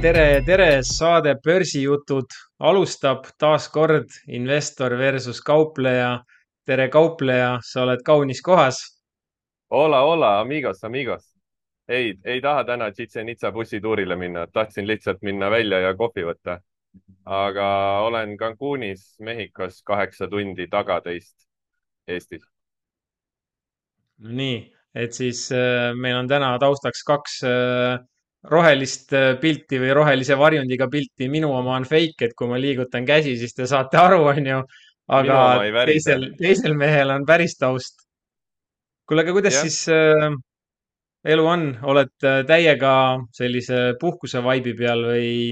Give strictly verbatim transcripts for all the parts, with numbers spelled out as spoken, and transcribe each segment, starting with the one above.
tere, tere, saade Börsijutud alustab taas kord investor versus kaupleja. tere, kaupleja, sa oled kaunis kohas. Hola, hola, amigos, amigos. ei, ei taha täna Chichen Itza bussituurile minna, tahtsin lihtsalt minna välja ja kohvi võtta. aga olen Cancunis, Mehhikos kaheksa tundi taga teist Eestis. Nii, et siis äh, meil on täna taustaks kaks äh, rohelist äh, pilti või rohelise varjundiga pilti. Minu oma on fake, et kui ma liigutan käsi, siis te saate aru, onju. minu aga oma ei värise. teisel, teisel mehel on päris taust. kuule, aga kuidas jah, siis äh, elu on, oled äh, täiega sellise puhkuse vaibi peal või,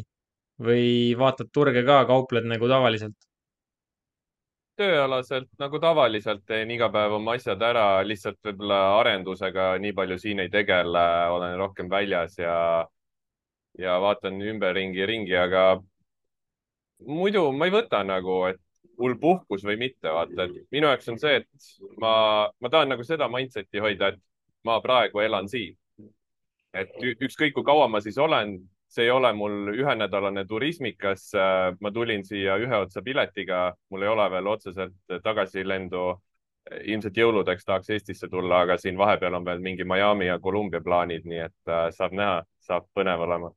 või vaatad turge ka, kaupled nagu tavaliselt? tööalaselt nagu tavaliselt teen iga päev oma asjad ära, lihtsalt võib-olla arendusega nii palju siin ei tegele, olen rohkem väljas ja, ja vaatan ümberringi ringi, aga muidu ma ei võta nagu, et mul puhkus või mitte, vaata, et minu jaoks on see, et ma, ma tahan nagu seda mindset'i hoida, et ma praegu elan siin. et ü- ükskõik kui kaua ma siis olen, see ei ole mul ühenädalane turismikas. ma tulin siia ühe otsa piletiga, mul ei ole veel otseselt tagasilendu. ilmselt jõuludeks tahaks Eestisse tulla, aga siin vahepeal on veel mingi Miami ja Columbia plaanid, nii et äh, saab näha, saab põnev olema.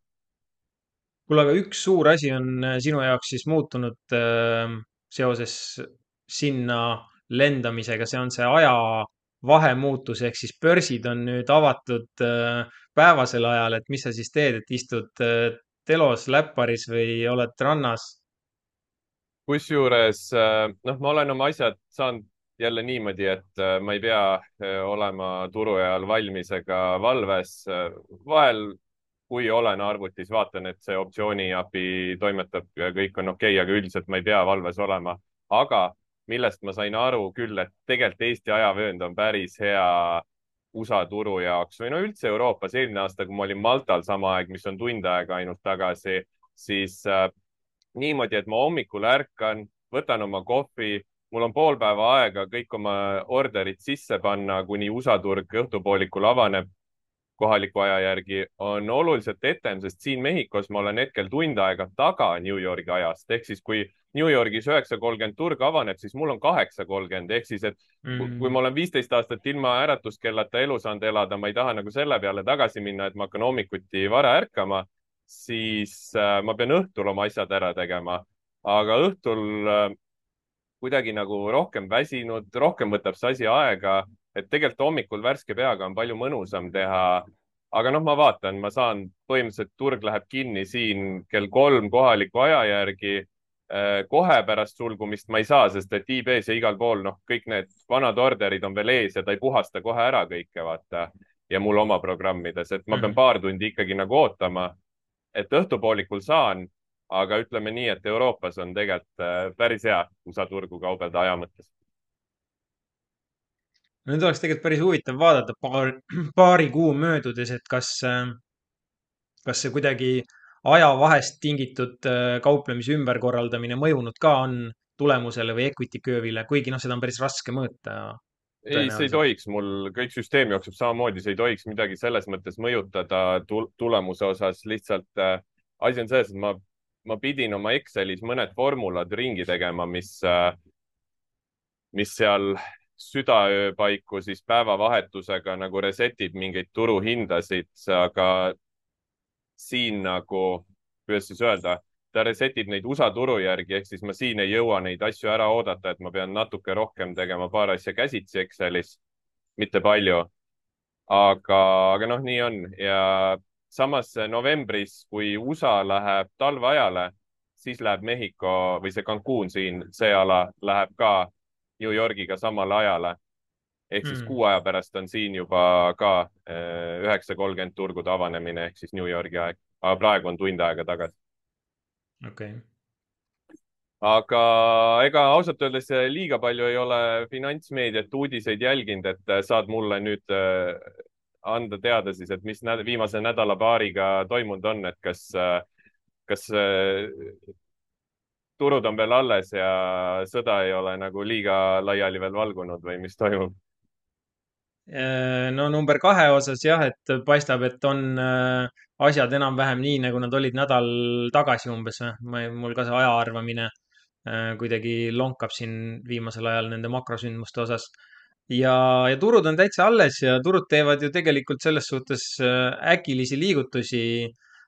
kuule, aga üks suur asi on äh, sinu jaoks siis muutunud äh, seoses sinna lendamisega, see on see aja vahemuutus, ehk siis börsid on nüüd avatud äh, päevasel ajal, et mis sa siis teed, et istud äh, telos, läpparis või oled rannas? kusjuures äh, noh, ma olen oma asjad saanud jälle niimoodi, et äh, ma ei pea äh, olema turu ajal valmis ega valves. vahel, kui olen arvutis, vaatan, et see optsiooni API toimetab ja kõik on okei okay,, aga üldiselt ma ei pea valves olema. aga millest ma sain aru küll, et tegelikult Eesti ajavöönd on päris hea U S A turu jaoks või no üldse Euroopas. eelmine aasta, kui ma olin Maltal sama aeg, mis on tund aega ainult tagasi, siis äh, niimoodi, et ma hommikul ärkan, võtan oma kohvi, mul on pool päeva aega kõik oma orderid sisse panna, kuni U S A turg õhtupoolikul avaneb kohaliku aja järgi, on oluliselt etem, sest siin Mehhikos ma olen hetkel tund aega taga New Yorgi ajast. ehk siis kui New Yorgis üheksa kolmkümmend turg avaneb, siis mul on kaheksa kolmkümmend, ehk siis, et kui Mm. ma olen viisteist aastat ilma äratuskellata elu saanud elada, ma ei taha nagu selle peale tagasi minna, et ma hakkan hommikuti vara ärkama, siis äh, ma pean õhtul oma asjad ära tegema. aga õhtul äh, kuidagi nagu rohkem väsinud, rohkem võtab see asi aega, et tegelikult hommikul värske peaga on palju mõnusam teha. aga noh, ma vaatan, ma saan, põhimõtteliselt turg läheb kinni siin kell kolm kohaliku aja järgi. kohe pärast sulgumist ma ei saa, sest et e-base ja igal pool, noh, kõik need vanad orderid on veel ees ja ta ei puhasta kohe ära kõike, vaata. ja mul oma programmides, et ma pean Mm. paar tundi ikkagi nagu ootama, et õhtupoolikul saan. aga ütleme nii, et Euroopas on tegelikult äh, päris hea U S A turgu kaubelda aja mõttes. Nüüd oleks tegelikult päris huvitav vaadata paar, paari kuu möödudes, et kas, äh, kas see kuidagi ajavahest tingitud äh, kauplemise ümberkorraldamine mõjunud ka on tulemusele või equity curve'ile, kuigi noh, seda on päris raske mõõta ei, see ei tõenäoliselt. tohiks, mul kõik süsteem jookseb samamoodi, see ei tohiks midagi selles mõttes mõjutada tul tulemuse osas. lihtsalt äh, asi on selles, et ma, ma pidin oma Excelis mõned formulad ringi tegema, mis äh, mis seal südaöö paiku siis päevavahetusega nagu reset ib mingeid turuhindasid, aga siin nagu, kuidas siis öelda, ta reset ib neid U S A turu järgi, ehk siis ma siin ei jõua neid asju ära oodata, et ma pean natuke rohkem tegema paar asja käsitsi Excelis, mitte palju. aga, aga noh, nii on. ja samas novembris, kui U S A läheb talveajale, siis läheb Mehhiko või see Cancun siin, see ala läheb ka New Yorgiga samale ajale. ehk siis Hmm, kuu aja pärast on siin juba ka üheksa kolmkümmend turgude avanemine ehk siis New Yorgi aeg, aga praegu on tund aega tagasi. okei okay. aga ega ausalt öeldes liiga palju ei ole finantsmeediat, uudiseid jälginud, et saad mulle nüüd äh, anda teada siis, et mis näd viimase nädala-paariga toimunud on, et kas, kas äh, turud on veel alles ja sõda ei ole nagu liiga laiali veel valgunud või mis toimub? Äh, no number kahe osas jah, et paistab, et on äh, asjad enam-vähem nii, nagu nad olid nädal tagasi umbes. ma, mul ka see aja arvamine äh, kuidagi lonkab siin viimasel ajal nende makrosündmuste osas. ja, ja turud on täitsa alles ja turud teevad ju tegelikult selles suhtes äh, äkilisi liigutusi,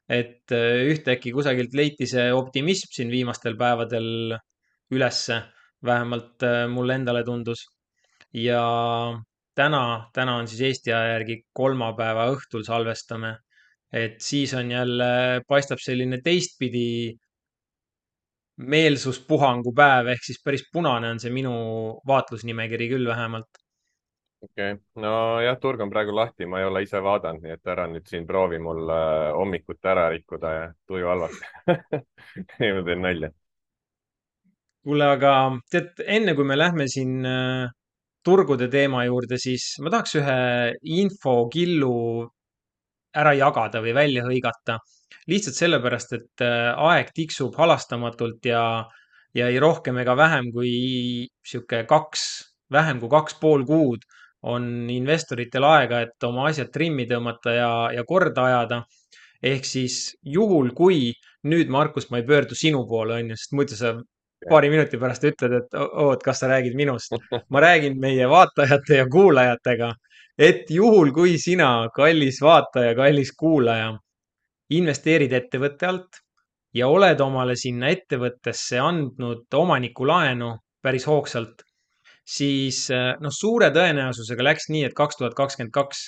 et äh, ühtäkki kusagilt leiti see optimism siin viimastel päevadel ülesse, vähemalt äh, mulle endale tundus. ja täna, täna on siis Eesti aja järgi kolmapäeva õhtul salvestame, et siis on jälle, paistab selline teistpidi meelsuspuhangu päev, ehk siis päris punane on see minu vaatlusnimekiri küll vähemalt. okei okay., nojah, turg on praegu lahti, ma ei ole ise vaadanud, nii et ära nüüd siin proovi mul äh, hommikut ära rikkuda ja tuju halvaks ei, ma teen nalja. kuule, aga tead, enne kui me lähme siin äh, turgude teema juurde, siis ma tahaks ühe infokillu ära jagada või välja hõigata. lihtsalt sellepärast, et äh, aeg tiksub halastamatult ja, ja ei rohkem ega vähem kui sihuke kaks, vähem kui kaks pool kuud on investoritel aega, et oma asjad trimmi tõmmata ja, ja korda ajada. ehk siis juhul, kui nüüd, Markus, ma ei pöördu sinu poole, onju, sest muidu sa paari minuti pärast ütled, et o- oot, kas sa räägid minust. ma räägin meie vaatajate ja kuulajatega, et juhul, kui sina, kallis vaataja, kallis kuulaja, investeerid ettevõtte alt ja oled omale sinna ettevõttesse andnud omanikulaenu päris hoogsalt, siis eh, noh, suure tõenäosusega läks nii, et kaks tuhat kakskümmend kaks,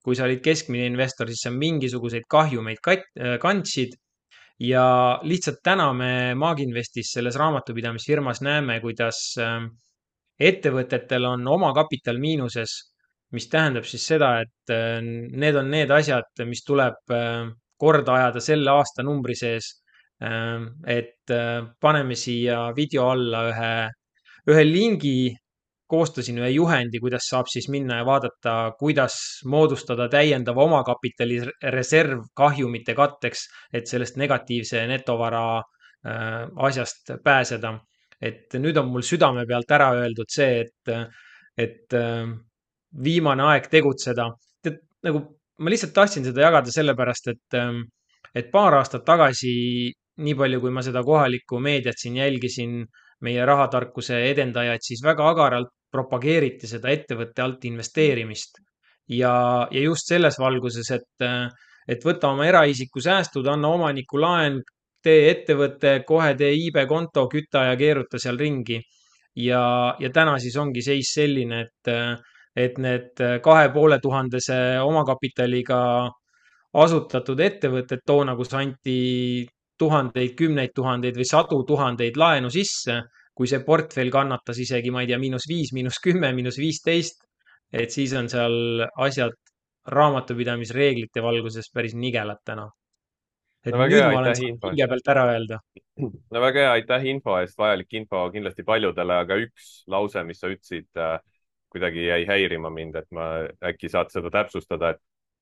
kui sa olid keskmine investor, siis sa mingisuguseid kahjumeid kat- eh, kandsid ja lihtsalt täna me Maaginvestis selles raamatupidamisfirmas näeme, kuidas äh, ettevõtetel on omakapital miinuses, mis tähendab siis seda, et äh, need on need asjad, mis tuleb äh, korda ajada selle aastanumbri sees. Äh, et äh, paneme siia video alla ühe, ühe lingi, koostasin ühe juhendi, kuidas saab siis minna ja vaadata, kuidas moodustada täiendav omakapitali reserv kahjumite katteks, et sellest negatiivse netovara äh, asjast pääseda. et nüüd on mul südame pealt ära öeldud see, et, et äh, viimane aeg tegutseda. tead, nagu ma lihtsalt tahtsin seda jagada sellepärast, et, ähm, et paar aastat tagasi, nii palju kui ma seda kohalikku meediat siin jälgisin, meie rahatarkuse edendajaid, siis väga agaralt propageeriti seda ettevõtte alt investeerimist. ja, ja just selles valguses, et, äh, et võta oma eraisiku säästud, anna omaniku laen, tee ettevõte, kohe tee iibekonto, küta ja keeruta seal ringi. ja, ja täna siis ongi seis selline, et, et need kahe poole tuhandese omakapitaliga asutatud ettevõtted toona, kus anti tuhandeid, kümneid tuhandeid või sadu tuhandeid laenu sisse, kui see portfell kannatas isegi, ma ei tea, miinus viis, miinus kümme, miinus viisteist, et siis on seal asjad raamatupidamisreeglite valguses päris nigelad täna. et no väga nüüd hea, ma olen aitäh saanud info eest. hinge pealt ära öelda. no väga hea, aitäh info eest, vajalik info kindlasti paljudele, aga üks lause, mis sa ütlesid äh,, kuidagi jäi häirima mind, et ma äkki saad seda täpsustada, et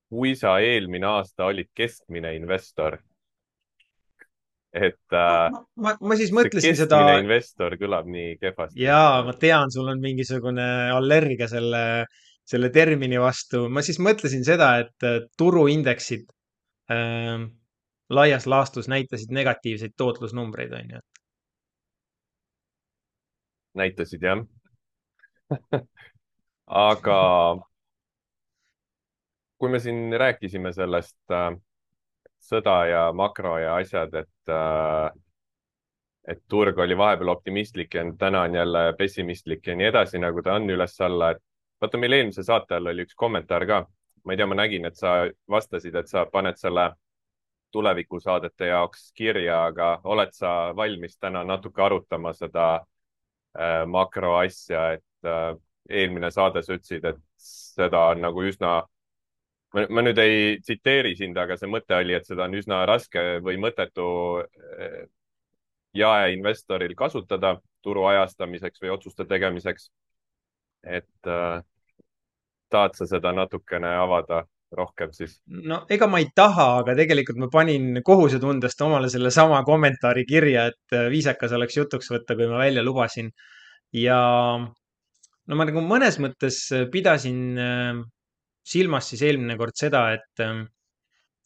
kui sa eelmine aasta olid keskmine investor, et ma, äh, ma, ma ma siis see mõtlesin seda. keskmine investor kõlab nii kehvasti. Jaa, ma tean, sul on mingisugune allergia selle, selle termini vastu. ma siis mõtlesin seda, et äh, turuindeksid ähm, laias laastus näitasid negatiivseid tootlusnumbreid, on ju. näitasid jah, aga kui me siin rääkisime sellest äh, sõda ja makro ja asjad, et äh, et turg oli vahepeal optimistlik ja täna on jälle pessimistlik ja nii edasi, nagu ta on üles-alla, et vaata, meil eelmise saate all oli üks kommentaar ka. ma ei tea, ma nägin, et sa vastasid, et sa paned selle tulevikusaadete jaoks kirja, aga oled sa valmis täna natuke arutama seda äh, makroasja, et äh, eelmine saade sa ütlesid, et seda on nagu üsna, ma, ma nüüd ei tsiteeri sind, aga see mõte oli, et seda on üsna raske või mõttetu äh, jaeinvestoril kasutada turu ajastamiseks või otsuste tegemiseks. et äh, tahad sa seda natukene avada rohkem siis? no ega ma ei taha, aga tegelikult ma panin kohusetundest omale sellesama kommentaari kirja, et äh, viisakas oleks jutuks võtta, kui ma välja lubasin. ja no ma nagu mõnes mõttes pidasin äh, silmas siis eelmine kord seda, et, ähm,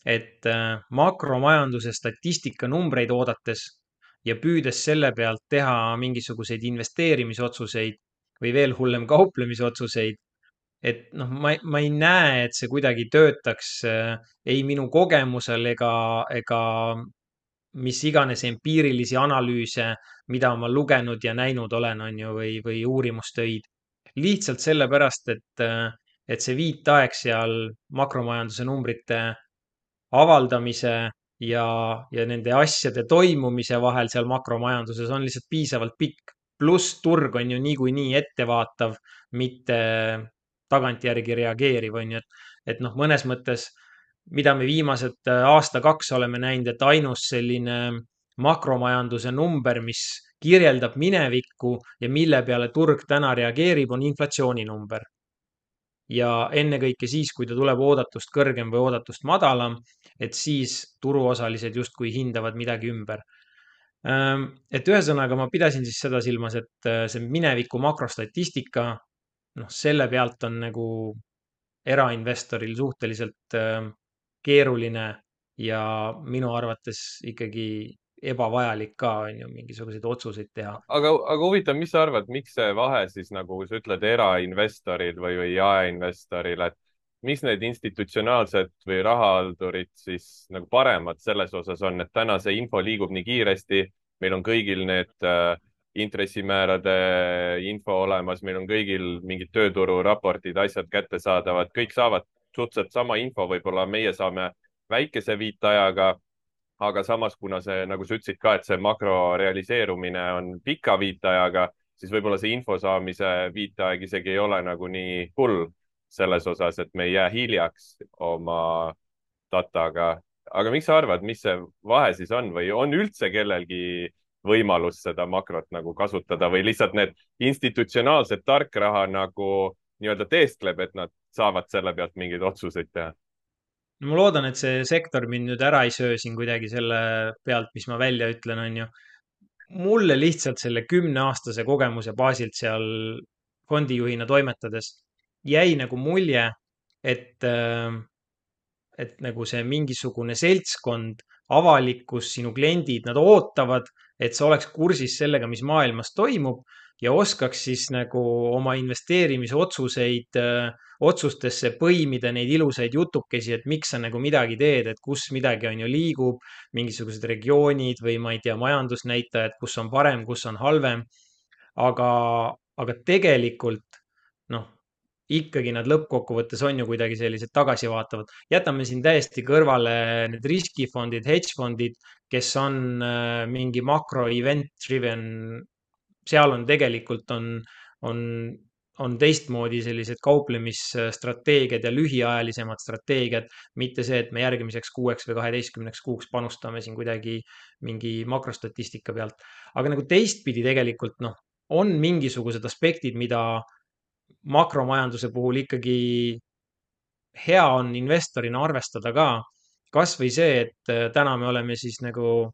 et äh, makromajanduse statistika numbreid oodates ja püüdes selle pealt teha mingisuguseid investeerimisotsuseid või veel hullem kauplemisotsuseid, et noh, ma, ma ei näe, et see kuidagi töötaks äh, ei minu kogemusel ega, ega mis iganes empiirilisi analüüse, mida ma lugenud ja näinud olen, on ju, või, või uurimustöid. lihtsalt sellepärast, et, äh, et see viitaeg seal makromajanduse numbrite avaldamise ja, ja nende asjade toimumise vahel seal makromajanduses on lihtsalt piisavalt pikk. pluss turg on ju niikuinii ettevaatav, mitte tagantjärgi reageeriv, on ju, et, et noh, mõnes mõttes, mida me viimased äh, aasta-kaks oleme näinud, et ainus selline makromajanduse number, mis kirjeldab minevikku ja mille peale turg täna reageerib, on inflatsiooninumber ja ennekõike siis, kui ta tuleb oodatust kõrgem või oodatust madalam, et siis turuosalised justkui hindavad midagi ümber. Ähm, et ühesõnaga ma pidasin siis seda silmas, et äh, see mineviku makrostatistika, noh, selle pealt on nagu erainvestoril suhteliselt äh, keeruline ja minu arvates ikkagi ebavajalik ka, on ju, mingisuguseid otsuseid teha. aga, aga huvitav, mis sa arvad, miks see vahe siis nagu sa ütled erainvestoril või, või jaeinvestoril, et miks need institutsionaalsed või rahahaldurid siis nagu paremad selles osas on, et täna see info liigub nii kiiresti, meil on kõigil need äh, intressimäärade info olemas, meil on kõigil mingid töötururaportid, asjad kättesaadavad, kõik saavad suhteliselt sama info, võib-olla meie saame väikese viitajaga, aga samas, kuna see, nagu sa ütlesid ka, et see makro realiseerumine on pika viitajaga, siis võib-olla see info saamise viitaeg isegi ei ole nagu nii hull selles osas, et me ei jää hiljaks oma dataga. aga miks sa arvad, mis see vahe siis on või on üldse kellelgi võimalus seda makrot nagu kasutada või lihtsalt need institutsionaalsed tarkraha nagu nii-öelda teeskleb, et nad saavad selle pealt mingeid otsuseid teha? no ma loodan, et see sektor mind nüüd ära ei söö siin kuidagi selle pealt, mis ma välja ütlen, on ju. mulle lihtsalt selle kümneaastase kogemuse baasilt seal fondijuhina toimetades jäi nagu mulje, et äh, et nagu see mingisugune seltskond, avalikkus, sinu kliendid, nad ootavad, et sa oleks kursis sellega, mis maailmas toimub ja oskaks siis nagu oma investeerimisotsuseid, äh, otsustesse põimida neid ilusaid jutukesi, et miks sa nagu midagi teed, et kus midagi on ju liigub, mingisugused regioonid või ma ei tea, majandusnäitajad, kus on parem, kus on halvem. aga, aga tegelikult noh, ikkagi nad lõppkokkuvõttes on ju kuidagi sellised tagasivaatavad. jätame siin täiesti kõrvale need riskifondid, hedge fondid, kes on äh, mingi makro event driven, seal on tegelikult on, on, on teistmoodi sellised kauplemisstrateegiad ja lühiajalisemad strateegiad, mitte see, et me järgmiseks kuueks või kaheteistkümneks kuuks panustame siin kuidagi mingi makrostatistika pealt. aga nagu teistpidi tegelikult noh, on mingisugused aspektid, mida makromajanduse puhul ikkagi hea on investorina arvestada ka. kasvõi see, et äh, täna me oleme siis nagu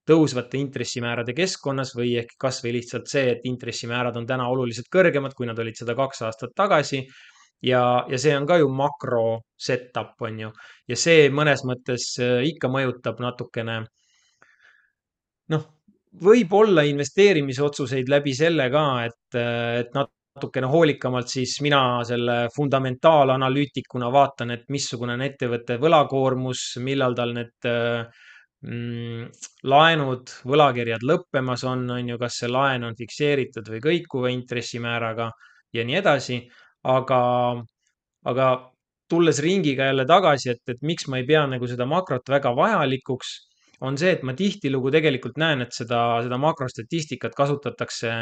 tõusvate intressimäärade keskkonnas või ehk kasvõi lihtsalt see, et intressimäärad on täna oluliselt kõrgemad, kui nad olid seda kaks aastat tagasi. ja, ja see on ka ju makro setup, on ju, ja see mõnes mõttes äh, ikka mõjutab natukene noh, võib-olla investeerimisotsuseid läbi selle ka, et, et natukene hoolikamalt siis mina selle fundamentaalanalüütikuna vaatan, et missugune on ettevõtte võlakoormus, millal tal need mm, laenud, võlakirjad lõppemas on, on ju, kas see laen on fikseeritud või kõikuva intressimääraga ja nii edasi. aga, aga tulles ringiga jälle tagasi, et, et miks ma ei pea nagu seda makrot väga vajalikuks, on see, et ma tihtilugu tegelikult näen, et seda, seda makrostatistikat kasutatakse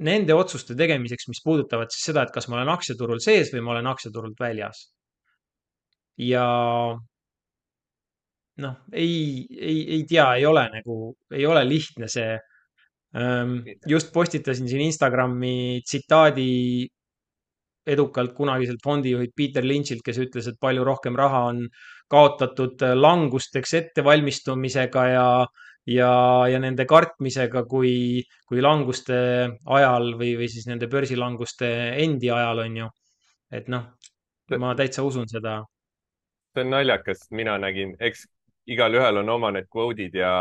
nende otsuste tegemiseks, mis puudutavad siis seda, et kas ma olen aktsiaturul sees või ma olen aktsiaturult väljas. ja noh, ei, ei, ei tea, ei ole nagu, ei ole lihtne see. just postitasin siin Instagrami tsitaadi edukalt kunagiselt fondijuhilt Peter Lynch'ilt, kes ütles, et palju rohkem raha on kaotatud äh, langusteks ettevalmistumisega ja, ja, ja nende kartmisega kui, kui languste ajal või, või siis nende börsilanguste endi ajal, on ju. et noh, ma täitsa usun seda. see on naljakas, mina nägin, eks igalühel on oma need kvoodid ja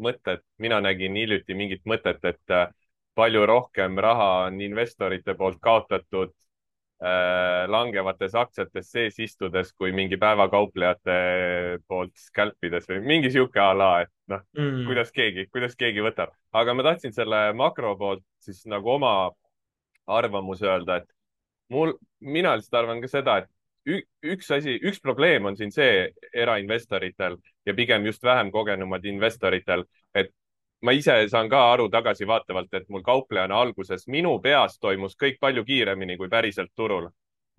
mõtted. mina nägin hiljuti mingit mõtet, et äh, palju rohkem raha on investorite poolt kaotatud äh, langevates aktsiates sees istudes kui mingi päevakauplejate poolt scalpides või mingi sihuke a la, et noh, mm,. kuidas keegi, kuidas keegi võtab. aga ma tahtsin selle makro poolt siis nagu oma arvamuse öelda, et mul, mina lihtsalt arvan ka seda, et ü- üks asi, üks probleem on siin see erainvestoritel ja pigem just vähem kogenumad investoritel, et ma ise saan ka aru tagasivaatavalt, et mul kauplejana alguses minu peas toimus kõik palju kiiremini kui päriselt turul.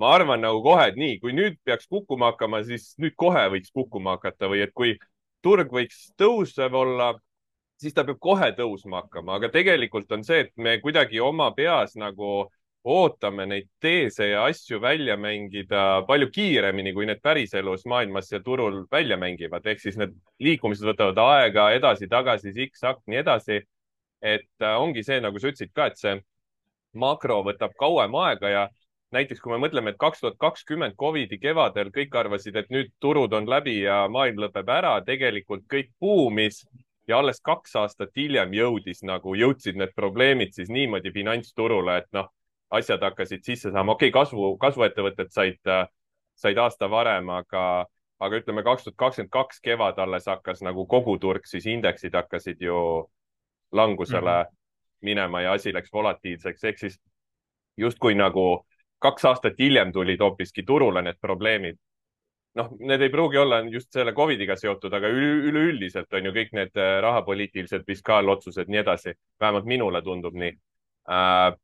ma arvan nagu kohe, et nii, kui nüüd peaks kukkuma hakkama, siis nüüd kohe võiks kukkuma hakata või et kui turg võiks tõusev olla, siis ta peab kohe tõusma hakkama, aga tegelikult on see, et me kuidagi oma peas nagu ootame neid teese ja asju välja mängida palju kiiremini, kui need päriselus maailmas ja turul välja mängivad. ehk siis need liikumised võtavad aega edasi-tagasi, siksak, nii edasi. et äh, ongi see, nagu sa ütlesid ka, et see makro võtab kauem aega ja näiteks kui me mõtleme, et kaks tuhat kakskümmend Covidi kevadel kõik arvasid, et nüüd turud on läbi ja maailm lõpeb ära, tegelikult kõik buumis ja alles kaks aastat hiljem jõudis nagu, jõudsid need probleemid siis niimoodi finantsturule, et noh, asjad hakkasid sisse saama. okei okay,, kasvu, kasvuettevõtted said, said aasta varem, aga, aga ütleme, kaks tuhat kakskümmend kaks kevad alles hakkas nagu kogu turg, siis indeksid hakkasid ju langusele Mm. minema ja asi läks volatiilseks. ehk siis justkui nagu kaks aastat hiljem tulid hoopiski turule need probleemid. noh, need ei pruugi olla just selle Covidiga seotud, aga üleüldiselt on ju kõik need rahapoliitilised fiskaalotsused, nii edasi. vähemalt minule tundub nii äh,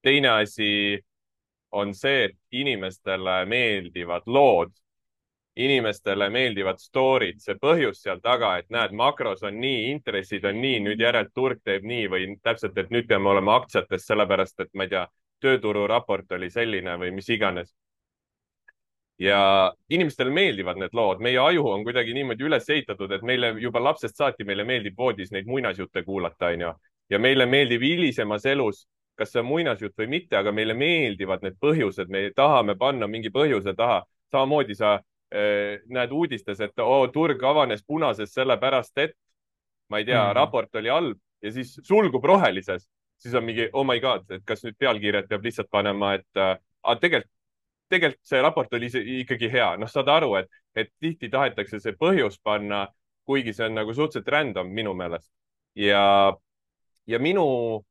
teine asi on see, et inimestele meeldivad lood, inimestele meeldivad story'd, see põhjus seal taga, et näed, makros on nii, intressid on nii, nüüd järelt turg teeb nii või täpselt, et nüüd peame olema aktsiates sellepärast, et ma ei tea, töötururaport oli selline või mis iganes. ja inimestele meeldivad need lood, meie aju on kuidagi niimoodi üles ehitatud, et meile juba lapsest saati meile meeldib voodis neid muinasjutte kuulata, onju. ja meile meeldib hilisemas elus, kas see on muinasjutt või mitte, aga meile meeldivad need põhjused, me tahame panna mingi põhjuse taha. samamoodi sa äh, näed uudistes, et oo, turg avanes punases sellepärast, et ma ei tea, Mm. raport oli halb ja siis sulgub rohelises, siis on mingi oh my god, et kas nüüd pealkirjad peab lihtsalt panema, et äh, tegelikult tegelikult see raport oli ikkagi hea. noh, saad aru, et, et tihti tahetakse see põhjus panna, kuigi see on nagu suhteliselt random minu meelest. ja, ja minu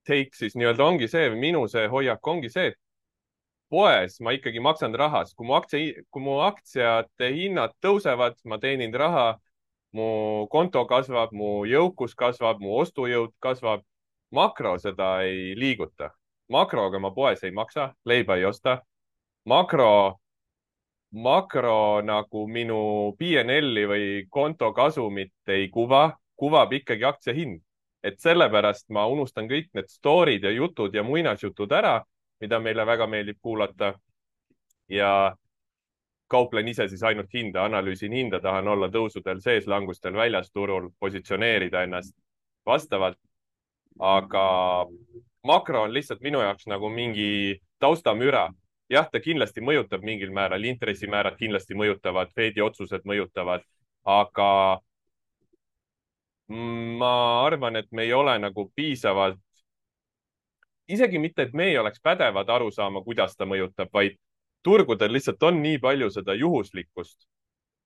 take siis nii-öelda ongi see, minu see hoiak ongi see, et poes ma ikkagi maksan rahas, kui mu aktsia, kui mu aktsiate hinnad tõusevad, ma teenin raha, mu konto kasvab, mu jõukus kasvab, mu ostujõud kasvab. makro seda ei liiguta. makroga ma poes ei maksa, leiba ei osta. makro, makro nagu minu P and L-i või konto kasumit ei kuva, kuvab ikkagi aktsia hind. et sellepärast ma unustan kõik need story'd ja jutud ja muinasjutud ära, mida meile väga meeldib kuulata. ja kauplen ise siis ainult hinda, analüüsin hinda, tahan olla tõusudel sees, langustel väljas turul, positsioneerida ennast vastavalt. aga makro on lihtsalt minu jaoks nagu mingi taustamüra. jah, ta kindlasti mõjutab mingil määral, intressimäärad kindlasti mõjutavad, Fedi otsused mõjutavad, aga ma arvan, et me ei ole nagu piisavalt, isegi mitte, et me ei oleks pädevad aru saama, kuidas ta mõjutab, vaid turgudel lihtsalt on nii palju seda juhuslikkust,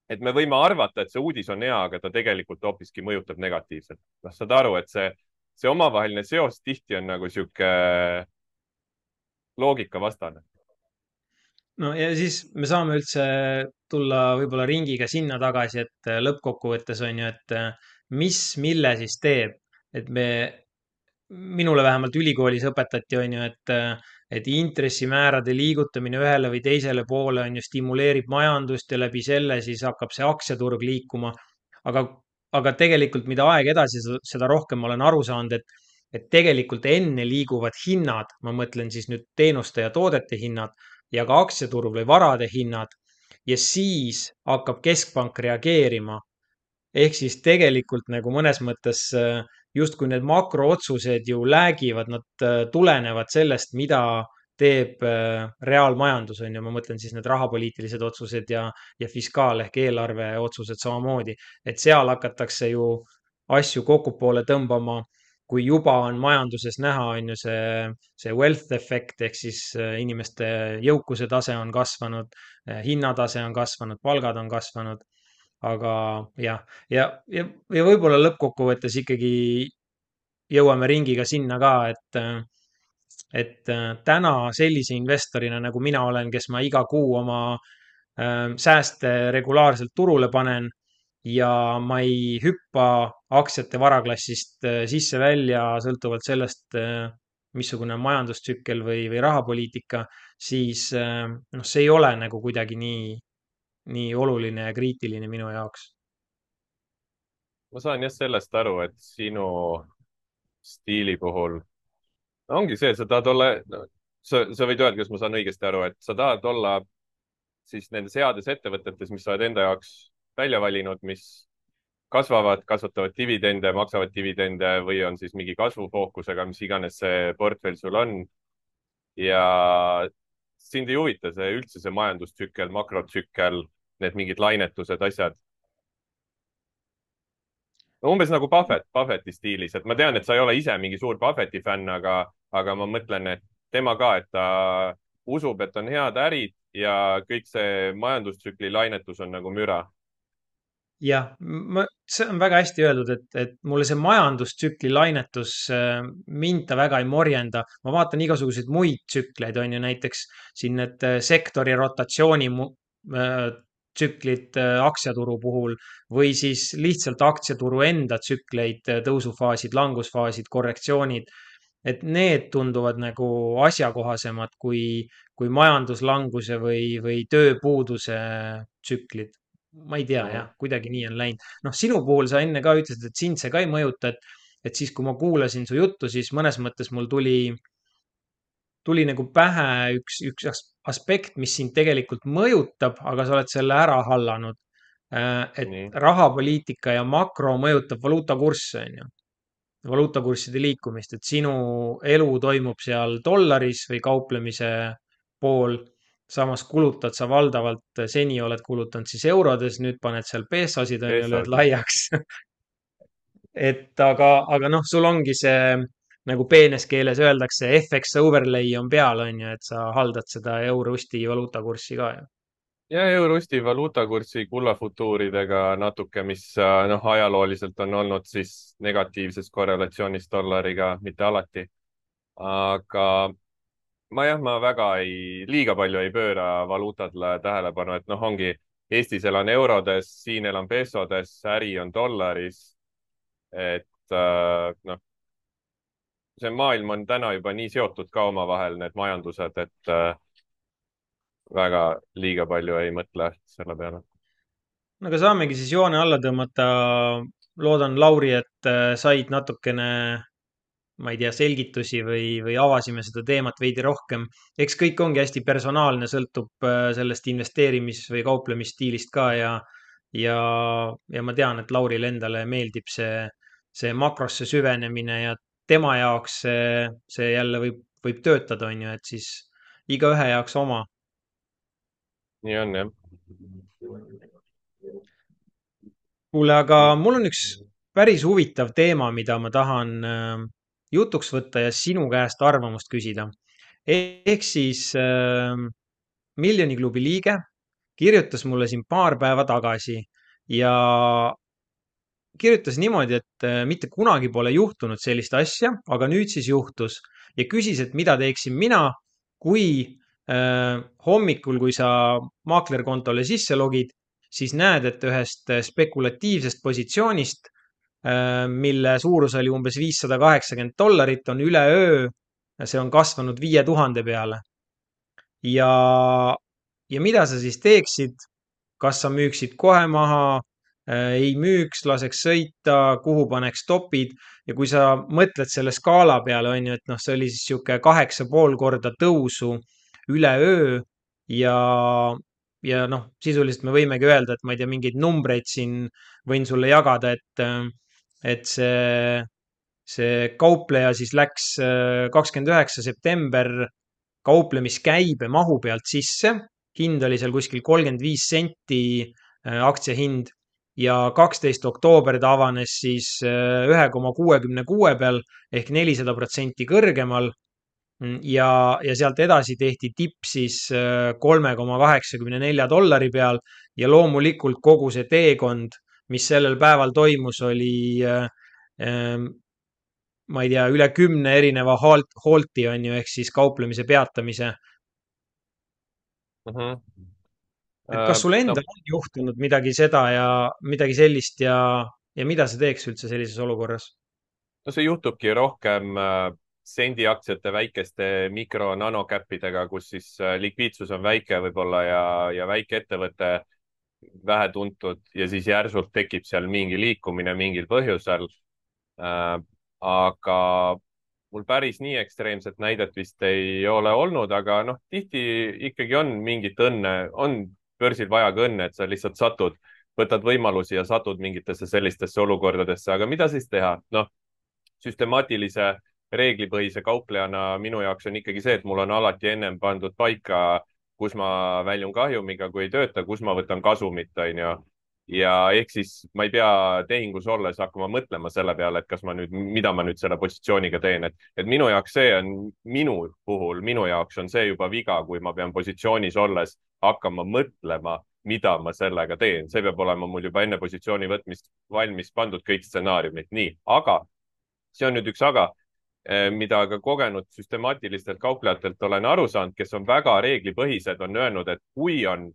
et me võime arvata, et see uudis on hea, aga ta tegelikult hoopiski mõjutab negatiivselt. noh, saad aru, et see, see omavaheline seos tihti on nagu sihuke loogikavastane. no ja siis me saame üldse tulla võib-olla ringiga sinna tagasi, et äh, lõppkokkuvõttes on ju, et äh, mis, mille siis teeb, et me, minule vähemalt ülikoolis õpetati, on ju, et, äh, et intressimäärade liigutamine ühele või teisele poole on ju, stimuleerib majandust ja läbi selle siis hakkab see aktsiaturg liikuma. aga, aga tegelikult, mida aeg edasi, seda rohkem ma olen aru saanud, et, et tegelikult enne liiguvad hinnad, ma mõtlen siis nüüd teenuste ja toodete hinnad ja ka aktsiaturul või varade hinnad ja siis hakkab keskpank reageerima. ehk siis tegelikult nagu mõnes mõttes äh, justkui need makrootsused ju läägivad, nad äh, tulenevad sellest, mida teeb äh, reaalmajandus, on ju, ma mõtlen siis need rahapoliitilised otsused ja, ja fiskaal ehk eelarve otsused samamoodi, et seal hakatakse ju asju kokkupoole tõmbama, kui juba on majanduses näha, on ju see, see wealth efekt ehk siis äh, inimeste jõukuse tase on kasvanud, äh, hinnatase on kasvanud, palgad on kasvanud, aga jah, ja, ja, ja võib-olla lõppkokkuvõttes ikkagi jõuame ringiga sinna ka, et äh, et äh, täna sellise investorina, nagu mina olen, kes ma iga kuu oma äh, sääste regulaarselt turule panen ja ma ei hüppa aktsiate varaklassist äh, sisse-välja sõltuvalt sellest, äh, missugune on majandustsükkel või, või rahapoliitika, siis äh, noh, see ei ole nagu kuidagi nii, nii oluline ja kriitiline minu jaoks. ma saan jah sellest aru, et sinu stiili puhul ongi see, sa tahad olla no,, sa, sa võid öelda, kas ma saan õigesti aru, et sa tahad olla siis nendes heades ettevõtetes, mis sa oled enda jaoks välja valinud, mis kasvavad, kasvatavad dividende, maksavad dividende või on siis mingi kasvufookusega, mis iganes see portfell sul on. ja sind ei huvita see üldse see majandustsükkel, makrotsükkel, need mingid lainetused, asjad. No umbes nagu Buffett, Buffetti stiilis, et ma tean, et sa ei ole ise mingi suur Buffetti fänn, aga, aga ma mõtlen, et tema ka, et ta usub, et on head ärid ja kõik see majandustsükli lainetus on nagu müra. jah, ma, see on väga hästi öeldud, et, et mulle see majandustsükli lainetus, äh, mind ta väga ei morjenda. ma vaatan igasuguseid muid tsükleid, on ju, näiteks siin need äh, sektori rotatsiooni mu- äh, tsüklid äh, aktsiaturu puhul või siis lihtsalt aktsiaturu enda tsükleid, äh, tõusufaasid, langusfaasid, korrektsioonid. Et need tunduvad nagu asjakohasemad kui, kui majanduslanguse või, või tööpuuduse tsüklid. Ma ei tea Mhm. jah, kuidagi nii on läinud. noh, sinu puhul sa enne ka ütlesid, et sind see ka ei mõjuta, et, et siis, kui ma kuulasin su juttu, siis mõnes mõttes mul tuli, tuli nagu pähe üks, üks as- aspekt, mis sind tegelikult mõjutab, aga sa oled selle ära hallanud. Äh, et nii, rahapoliitika ja makro mõjutab valuutakursse, on ju, valuutakursside liikumist, et sinu elu toimub seal dollaris või kauplemise pool. samas kulutad sa valdavalt, seni oled kulutanud siis eurodes, nüüd paned seal peesosid, on ju, lööd peesosid. laiaks. et aga, aga noh, sul ongi see, nagu peenes keeles öeldakse, F X overlay on peal, on ju, et sa haldad seda euro-sti valuutakurssi ka ju. ja Eurosti valuutakursi kullafutuuridega natuke, mis äh, noh, ajalooliselt on olnud siis negatiivses korrelatsioonis dollariga, mitte alati. aga ma jah, ma väga ei, liiga palju ei pööra valuutadele tähelepanu, et noh, ongi Eestis elan eurodes, siin elan pesodes, äri on dollaris. et äh, noh, see maailm on täna juba nii seotud ka omavahel, need majandused, et äh, väga liiga palju ei mõtle selle peale. no aga saamegi siis joone alla tõmmata. loodan, Lauri, et äh, said natukene, ma ei tea, selgitusi või, või avasime seda teemat veidi rohkem. eks kõik ongi hästi personaalne, sõltub äh, sellest investeerimis- või kauplemisstiilist ka ja, ja, ja ma tean, et Laurile endale meeldib see, see makrosse süvenemine ja tema jaoks see, see jälle võib, võib töötada, on ju, et siis igaühe jaoks oma. nii on jah. kuule, aga mul on üks päris huvitav teema, mida ma tahan äh, jutuks võtta ja sinu käest arvamust küsida. ehk siis äh, Miljoni klubi liige kirjutas mulle siin paar päeva tagasi ja kirjutas niimoodi, et äh, mitte kunagi pole juhtunud sellist asja, aga nüüd siis juhtus ja küsis, et mida teeksin mina, kui äh, hommikul, kui sa maaklerkontole sisse logid, siis näed, et ühest äh, spekulatiivsest positsioonist, äh, mille suurus oli umbes viissada kaheksakümmend dollarit, on üleöö, see on kasvanud viie tuhande peale. ja, ja mida sa siis teeksid? kas sa müüksid kohe maha, äh, ei müüks, laseks sõita, kuhu paneks stopid ja kui sa mõtled selle skaala peale, on ju, et noh, see oli siis sihuke kaheksa pool korda tõusu üleöö ja, ja noh, sisuliselt me võimegi öelda, et ma ei tea, mingeid numbreid siin võin sulle jagada, et, äh, et see, see kaupleja siis läks äh, kakskümmend üheksa september kauplemiskäibe mahu pealt sisse. Hind oli seal kuskil kolmkümmend viis senti äh, aktsia hind ja kaksteist oktoober ta avanes siis äh, ühe koma kuuekümne kuue peal ehk nelisada protsenti kõrgemal. Mm, ja, ja sealt edasi tehti tipp siis äh, kolme koma kaheksakümne nelja dollari peal ja loomulikult kogu see teekond, mis sellel päeval toimus, oli äh, ähm, ma ei tea, üle kümne erineva halt, halti on ju, ehk siis kauplemise peatamise. Mhm. Et kas Äh, sul no, endal on juhtunud midagi seda ja midagi sellist ja, ja mida sa teeks üldse sellises olukorras? no see juhtubki rohkem äh, sendiaktsiate väikeste mikro-nanokäppidega, kus siis äh, likviidsus on väike võib-olla ja, ja väike ettevõte vähetuntud ja siis järsult tekib seal mingi liikumine mingil põhjusel äh,. aga mul päris nii ekstreemset näidet vist ei ole olnud, aga noh, tihti ikkagi on mingit õnne, on börsil vaja ka õnne, et sa lihtsalt satud, võtad võimalusi ja satud mingitesse sellistesse olukordadesse, aga mida siis teha? noh, süstemaatilise reeglipõhise kauplejana minu jaoks on ikkagi see, et mul on alati ennem pandud paika, kus ma väljun kahjumiga, kui ei tööta, kus ma võtan kasumit, onju. ja ehk siis ma ei pea tehingus olles hakkama mõtlema selle peale, et kas ma nüüd, mida ma nüüd selle positsiooniga teen, et, et minu jaoks see on, minu puhul, minu jaoks on see juba viga, kui ma pean positsioonis olles hakkama mõtlema, mida ma sellega teen, see peab olema mul juba enne positsiooni võtmist valmis pandud kõik stsenaariumid, nii, aga see on nüüd üks aga, mida ka kogenud süstemaatilistelt kauplejatelt olen aru saanud, kes on väga reeglipõhised, on öelnud, et kui on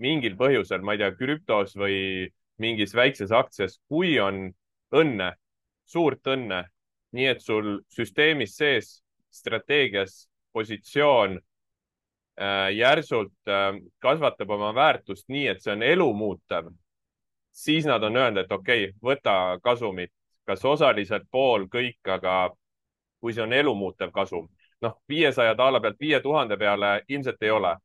mingil põhjusel, ma ei tea, krüptos või mingis väikses aktsias, kui on õnne, suurt õnne, nii et sul süsteemis sees strateegias positsioon äh, järsult äh, kasvatab oma väärtust nii, et see on elumuutev, siis nad on öelnud, et okei okay,, võta kasumit, kas osaliselt pool, kõik, aga kui see on elumuutev kasum, noh, viiesaja daala pealt viie tuhande peale ilmselt ei ole.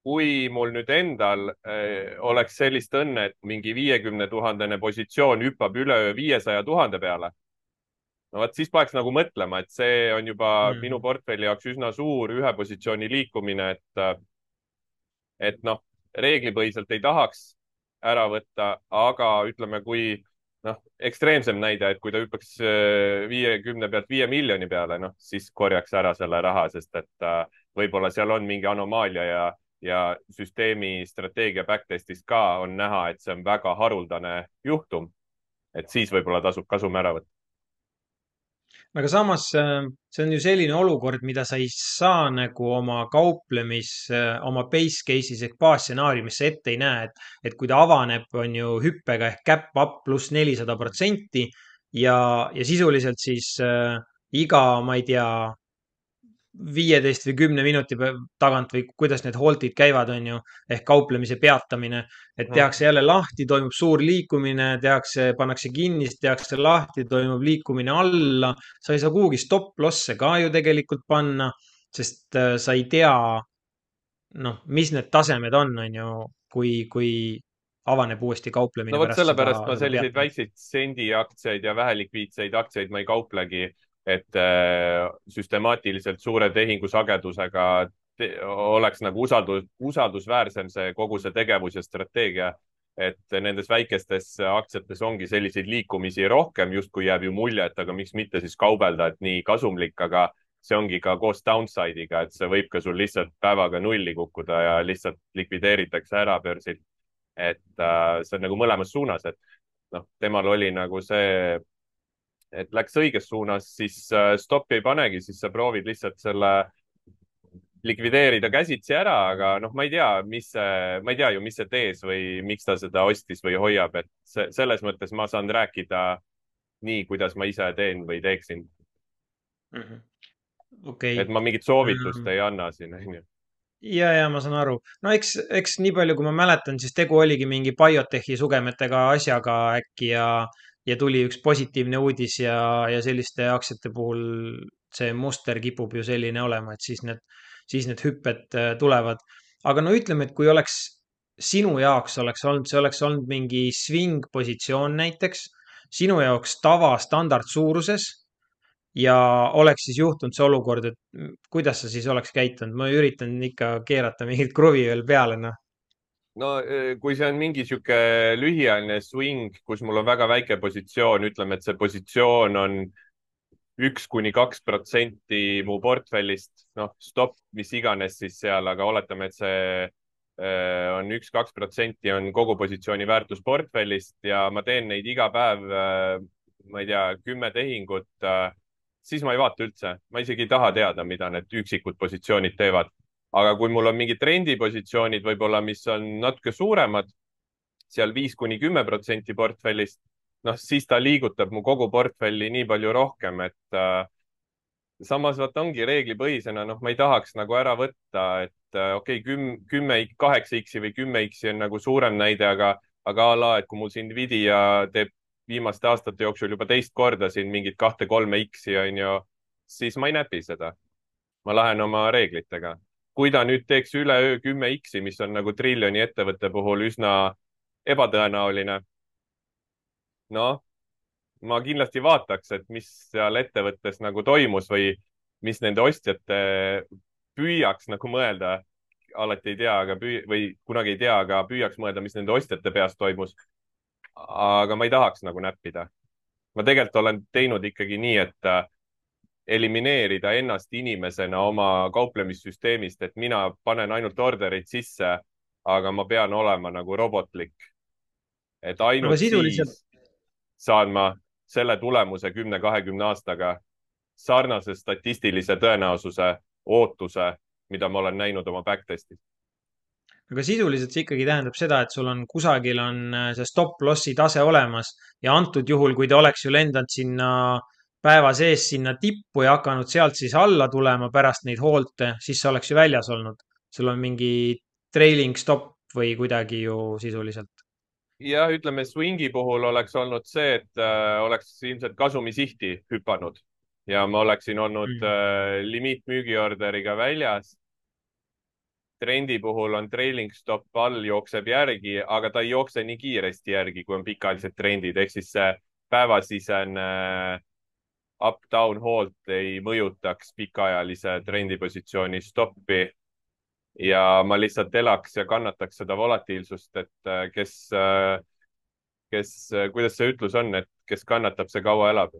kui mul nüüd endal äh, oleks sellist õnne, et mingi viiekümne tuhandene positsioon hüppab üleöö viiesaja tuhande peale, no vot siis paneks nagu mõtlema, et see on juba minu Mm. portfelli jaoks üsna suur ühe positsiooni liikumine, et, et noh, reeglipõhiselt ei tahaks ära võtta, aga ütleme, kui noh, ekstreemsem näide, et kui ta hüppaks viiekümne pealt viie miljoni peale, noh, siis korjaks ära selle raha, sest et äh, võib-olla seal on mingi anomaalia ja, ja süsteemi strateegia backtest'is ka on näha, et see on väga haruldane juhtum. et siis võib-olla tasub kasum ära võtta. aga samas äh, see on ju selline olukord, mida sa ei saa nagu oma kauplemis, oma base case'is ehk baasstsenaariumis sa ette ei näe, et, et kui ta avaneb, on ju hüppega ehk cap up pluss nelisada protsenti ja, ja sisuliselt siis äh, iga, ma ei tea, viieteist või kümne minuti pä- tagant või kuidas need halt'id käivad, on ju, ehk kauplemise peatamine, et Mhm. tehakse jälle lahti, toimub suur liikumine, tehakse, pannakse kinni, siis tehakse lahti, toimub liikumine alla. sa ei saa kuhugi stop loss'e ka ju tegelikult panna, sest äh, sa ei tea, noh, mis need tasemed on, on ju, kui, kui avaneb uuesti no kauplemine vot pärast seda, sellepärast ma seda selliseid peatamist. väikseid sendiaktsiaid ja vähelikviidseid aktsiaid ma ei kauplegi, et äh, süstemaatiliselt suure tehingusagedusega te oleks nagu usaldus, usaldusväärsem see kogu see tegevus ja strateegia. et nendes väikestes aktsiates ongi selliseid liikumisi rohkem, justkui jääb ju mulje, et aga miks mitte siis kaubelda, et nii kasumlik, aga see ongi ka koos downside'iga, et see võib ka sul lihtsalt päevaga nulli kukkuda ja lihtsalt likvideeritakse ära börsilt. et äh, see on nagu mõlemas suunas, et noh, temal oli nagu see, et läks õiges suunas, siis äh, stoppi ei panegi, siis sa proovid lihtsalt selle likvideerida käsitsi ära, aga noh, ma ei tea, mis see, ma ei tea ju, mis see tees või miks ta seda ostis või hoiab, et see, selles mõttes ma saan rääkida nii, kuidas ma ise teen või teeksin. Mhm. okei. et ma mingit soovitust ei anna siin, onju. ja, ja ma saan aru. no eks, eks nii palju, kui ma mäletan, siis tegu oligi mingi BioTechi sugemetega asjaga äkki ja, ja tuli üks positiivne uudis ja, ja selliste aktsiate puhul see muster kipub ju selline olema, et siis need, siis need hüpped äh, tulevad. aga no ütleme, et kui oleks sinu jaoks oleks olnud, see oleks olnud mingi swing positsioon näiteks, sinu jaoks tava standardsuuruses ja oleks siis juhtunud see olukord, et mm, kuidas sa siis oleks käitunud? ma üritan ikka keerata mingit kruvi veel peale, noh. no eh, kui see on mingi sihuke lühiajaline swing, kus mul on väga väike positsioon, ütleme, et see positsioon on üks kuni kaks protsenti mu portfellist, noh, stopp, mis iganes siis seal, aga oletame, et see eh, on üks-kaks protsenti on kogu positsiooni väärtus portfellist ja ma teen neid iga päev, eh, ma ei tea, kümme tehingut, eh, siis ma ei vaata üldse, ma isegi ei taha teada, mida need üksikud positsioonid teevad. aga kui mul on mingid trendipositsioonid võib-olla, mis on natuke suuremad, seal viis kuni kümme protsenti portfellist, noh, siis ta liigutab mu kogu portfelli nii palju rohkem, et äh, samas vaata ongi reeglipõhisena, noh, ma ei tahaks nagu ära võtta, et äh, okei okay,, küm-, kümme, kaheksa X-i või kümme X-i on nagu suurem näide, aga, aga a la, et kui mul siin Nvidia teeb viimaste aastate jooksul juba teist korda siin mingit kahte-kolme X-i on ju, siis ma ei näpi seda. ma lähen oma reeglitega. kui ta nüüd teeks üleöö kümme X-i, mis on nagu triljoni ettevõtte puhul üsna ebatõenäoline, noh, ma kindlasti vaataks, et mis seal ettevõttes nagu toimus või mis nende ostjate püüaks nagu mõelda. alati ei tea, aga püü- või kunagi ei tea, aga püüaks mõelda, mis nende ostjate peas toimus. aga ma ei tahaks nagu näppida. ma tegelikult olen teinud ikkagi nii, et äh, elimineerida ennast inimesena oma kauplemissüsteemist, et mina panen ainult ordereid sisse, aga ma pean olema nagu robotlik. et aga ainult sisuliselt, siis saan ma selle tulemuse kümne, kahekümne aastaga sarnase statistilise tõenäosuse, ootuse, mida ma olen näinud oma backtestis. aga sisuliselt see ikkagi tähendab seda, et sul on kusagil on äh, see stop loss'i tase olemas ja antud juhul, kui ta oleks ju lendanud sinna päeva sees sinna tippu ja hakanud sealt siis alla tulema pärast neid hoolte, siis sa oleks ju väljas olnud. sul on mingi trailing stop või kuidagi ju sisuliselt jah, ütleme swingi puhul oleks olnud see, et äh, oleks ilmselt kasumisihti hüpanud ja ma oleksin olnud mm.. äh, limiitmüügiorderiga väljas. trendi puhul on trailing stop all, jookseb järgi, aga ta ei jookse nii kiiresti järgi, kui on pikaajalised trendid, ehk siis see päevasisene äh, up-down hold ei mõjutaks pikaajalise trendipositsiooni stoppi ja ma lihtsalt elaks ja kannataks seda volatiilsust, et äh, kes, äh, kes, kuidas see ütlus on, et kes kannatab, see kaua elab.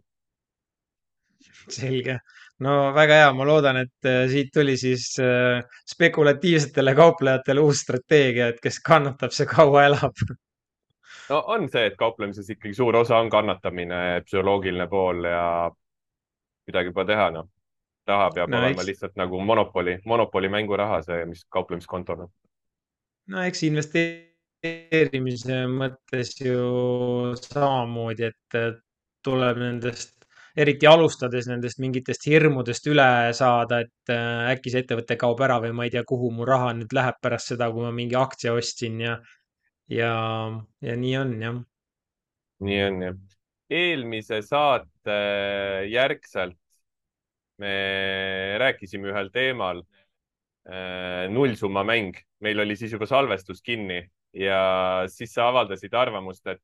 selge. No väga hea, ma loodan, et äh, siit tuli siis äh, spekulatiivsetele kauplejatele uus strateegia, et kes kannatab, see kaua elab. no on see, et kauplemises ikkagi suur osa on kannatamine, psühholoogiline pool ja midagi pole teha, noh. raha peab no olema eks, lihtsalt nagu monopoli, monopoli mänguraha, see, mis kauplemiskontol on. no eks investeerimise mõttes ju samamoodi, et äh, tuleb nendest, eriti alustades nendest mingitest hirmudest üle saada, et äh, äkki see ettevõte kaob ära või ma ei tea, kuhu mu raha nüüd läheb pärast seda, kui ma mingi aktsia ostsin ja, ja, ja nii on jah. nii on jah. eelmise saate järgselt me rääkisime ühel teemal, äh, nullsummamäng. meil oli siis juba salvestus kinni ja siis sa avaldasid arvamust, et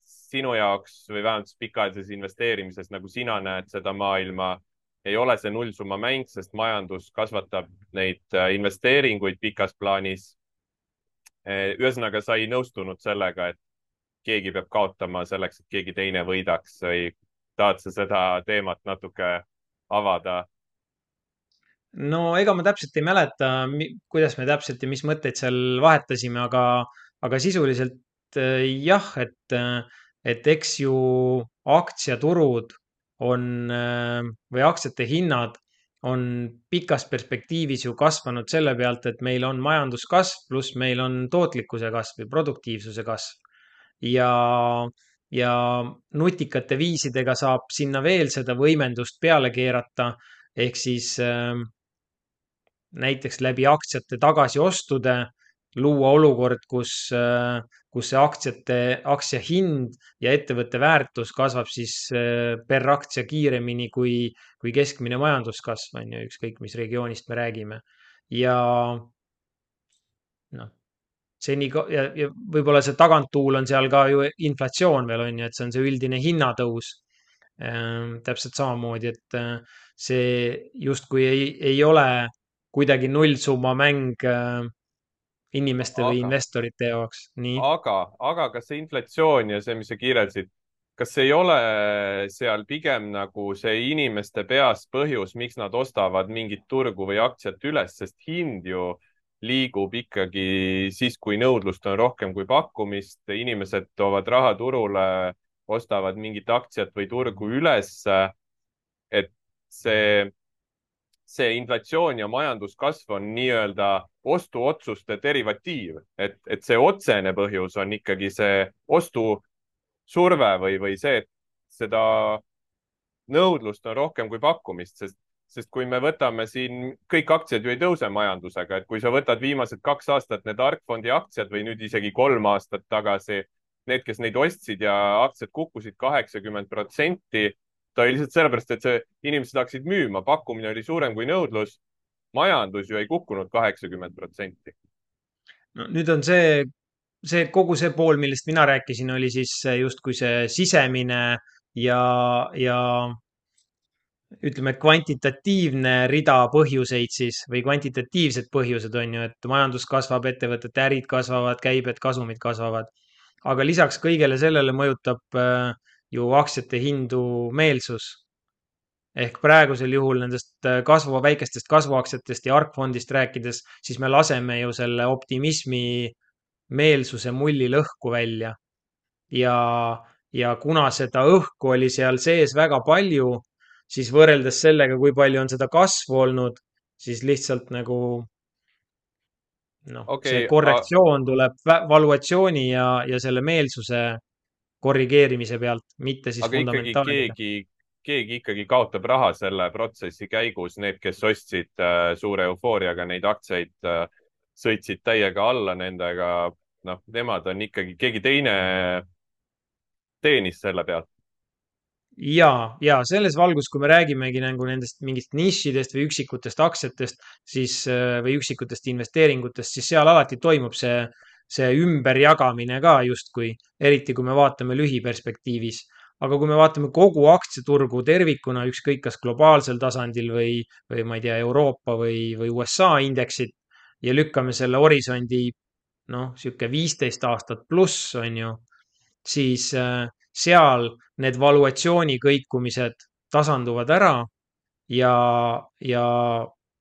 sinu jaoks või vähemalt pikaajalises investeerimises, nagu sina näed seda maailma, ei ole see nullsummamäng, sest majandus kasvatab neid äh, investeeringuid pikas plaanis. Äh, ühesõnaga, sa ei nõustunud sellega, et keegi peab kaotama selleks, et keegi teine võidaks või tahad sa seda teemat natuke avada? no ega ma täpselt ei mäleta, kuidas me täpselt ja mis mõtteid seal vahetasime, aga, aga sisuliselt äh, jah, et, äh, et eks ju aktsiaturud on äh, või aktsiate hinnad on pikas perspektiivis ju kasvanud selle pealt, et meil on majanduskasv pluss meil on tootlikkuse kasv või produktiivsuse kasv. ja, ja nutikate viisidega saab sinna veel seda võimendust peale keerata ehk siis äh, näiteks läbi aktsiate tagasiostude luua olukord, kus, äh, kus see aktsiate, aktsia hind ja ettevõtte väärtus kasvab siis äh, per aktsia kiiremini kui, kui keskmine majanduskasv on ju, ükskõik mis regioonist me räägime. ja noh, seni ka- ja, ja võib-olla see taganttuul on seal ka ju inflatsioon veel on ju, et see on see üldine hinnatõus Ähm, täpselt samamoodi, et äh, see justkui ei, ei ole kuidagi nullsummamäng äh, inimeste või aga investorite jaoks. Nii. aga, aga kas see inflatsioon ja see, mis sa kirjeldasid, kas ei ole seal pigem nagu see inimeste peas põhjus, miks nad ostavad mingit turgu või aktsiat üles, sest hind ju liigub ikkagi siis, kui nõudlust on rohkem kui pakkumist, inimesed toovad raha turule, ostavad mingit aktsiat või turgu ülesse, et see see inflatsioon ja majanduskasv on nii-öelda ostuotsuste derivatiiv, et, et see otsene põhjus on ikkagi see ostusurve või, või see, et seda nõudlust on rohkem kui pakkumist, sest, sest kui me võtame siin, kõik aktsiad ju ei tõuse majandusega, et kui sa võtad viimased kaks aastat need Argfondi aktsiad või nüüd isegi kolm aastat tagasi, need, kes neid ostsid ja aktsiad kukkusid kaheksakümmend protsenti, ta oli lihtsalt sellepärast, et see, inimesed hakkasid müüma, pakkumine oli suurem kui nõudlus. majandus ju ei kukkunud kaheksakümmend protsenti. No nüüd on see, see kogu see pool, millest mina rääkisin, oli siis äh, justkui see sisemine ja, ja ütleme, kvantitatiivne rida põhjuseid siis või kvantitatiivsed põhjused on ju, et majandus kasvab, ettevõtete ärid kasvavad, käibed, kasumid kasvavad. aga lisaks kõigele sellele mõjutab äh, ju aktsiate hindu meelsus. ehk praegusel juhul nendest äh, kasvu, väikestest kasvuaktsiatest ja argfondist rääkides, siis me laseme ju selle optimismi meelsuse mulli lõhku välja ja, ja kuna seda õhku oli seal sees väga palju, siis võrreldes sellega, kui palju on seda kasvu olnud, siis lihtsalt nagu noh, see okei okay,, korrektsioon tuleb vä- valuatsiooni ja, ja selle meelsuse korrigeerimise pealt, mitte siis aga ikkagi fundamentaalide. keegi, keegi ikkagi kaotab raha selle protsessi käigus, need, kes ostsid äh, suure eufooriaga neid aktsiaid äh,, sõitsid täiega alla nendega, noh, nemad on ikkagi, keegi teine teenis selle pealt. ja, ja selles valgus, kui me räägimegi nagu nendest mingist nišidest või üksikutest aktsiatest, siis äh, või üksikutest investeeringutest, siis seal alati toimub see, see ümberjagamine ka justkui, eriti kui me vaatame lühiperspektiivis. aga kui me vaatame kogu aktsiaturgu tervikuna, ükskõik kas globaalsel tasandil või, või ma ei tea, Euroopa või, või U S A indeksit ja lükkame selle horisondi noh, sihuke viisteist aastat pluss on ju, siis äh, seal need valuatsiooni kõikumised tasanduvad ära ja, ja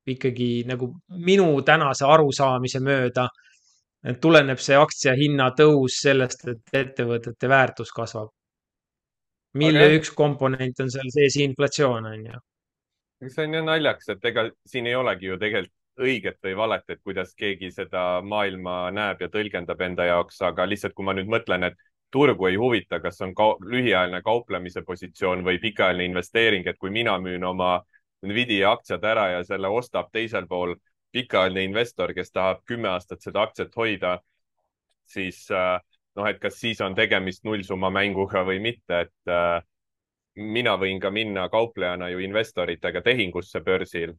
ikkagi nagu minu tänase arusaamise mööda tuleneb see aktsia hinna tõus sellest, et ettevõtete väärtus kasvab, aga mille jah, üks komponent on seal sees inflatsioon, on ju. see on ju naljakas, et ega siin ei olegi ju tegelikult õiget või valet, et kuidas keegi seda maailma näeb ja tõlgendab enda jaoks, aga lihtsalt kui ma nüüd mõtlen, et turgu ei huvita, kas on ka lühiajaline kauplemise positsioon või pikaajaline investeering, et kui mina müün oma Nvidia aktsiad ära ja selle ostab teisel pool pikaajaline investor, kes tahab kümme aastat seda aktsiat hoida, siis äh, noh, et kas siis on tegemist nullsumma mänguga või mitte, et äh, mina võin ka minna kauplejana ju investoritega tehingusse börsil.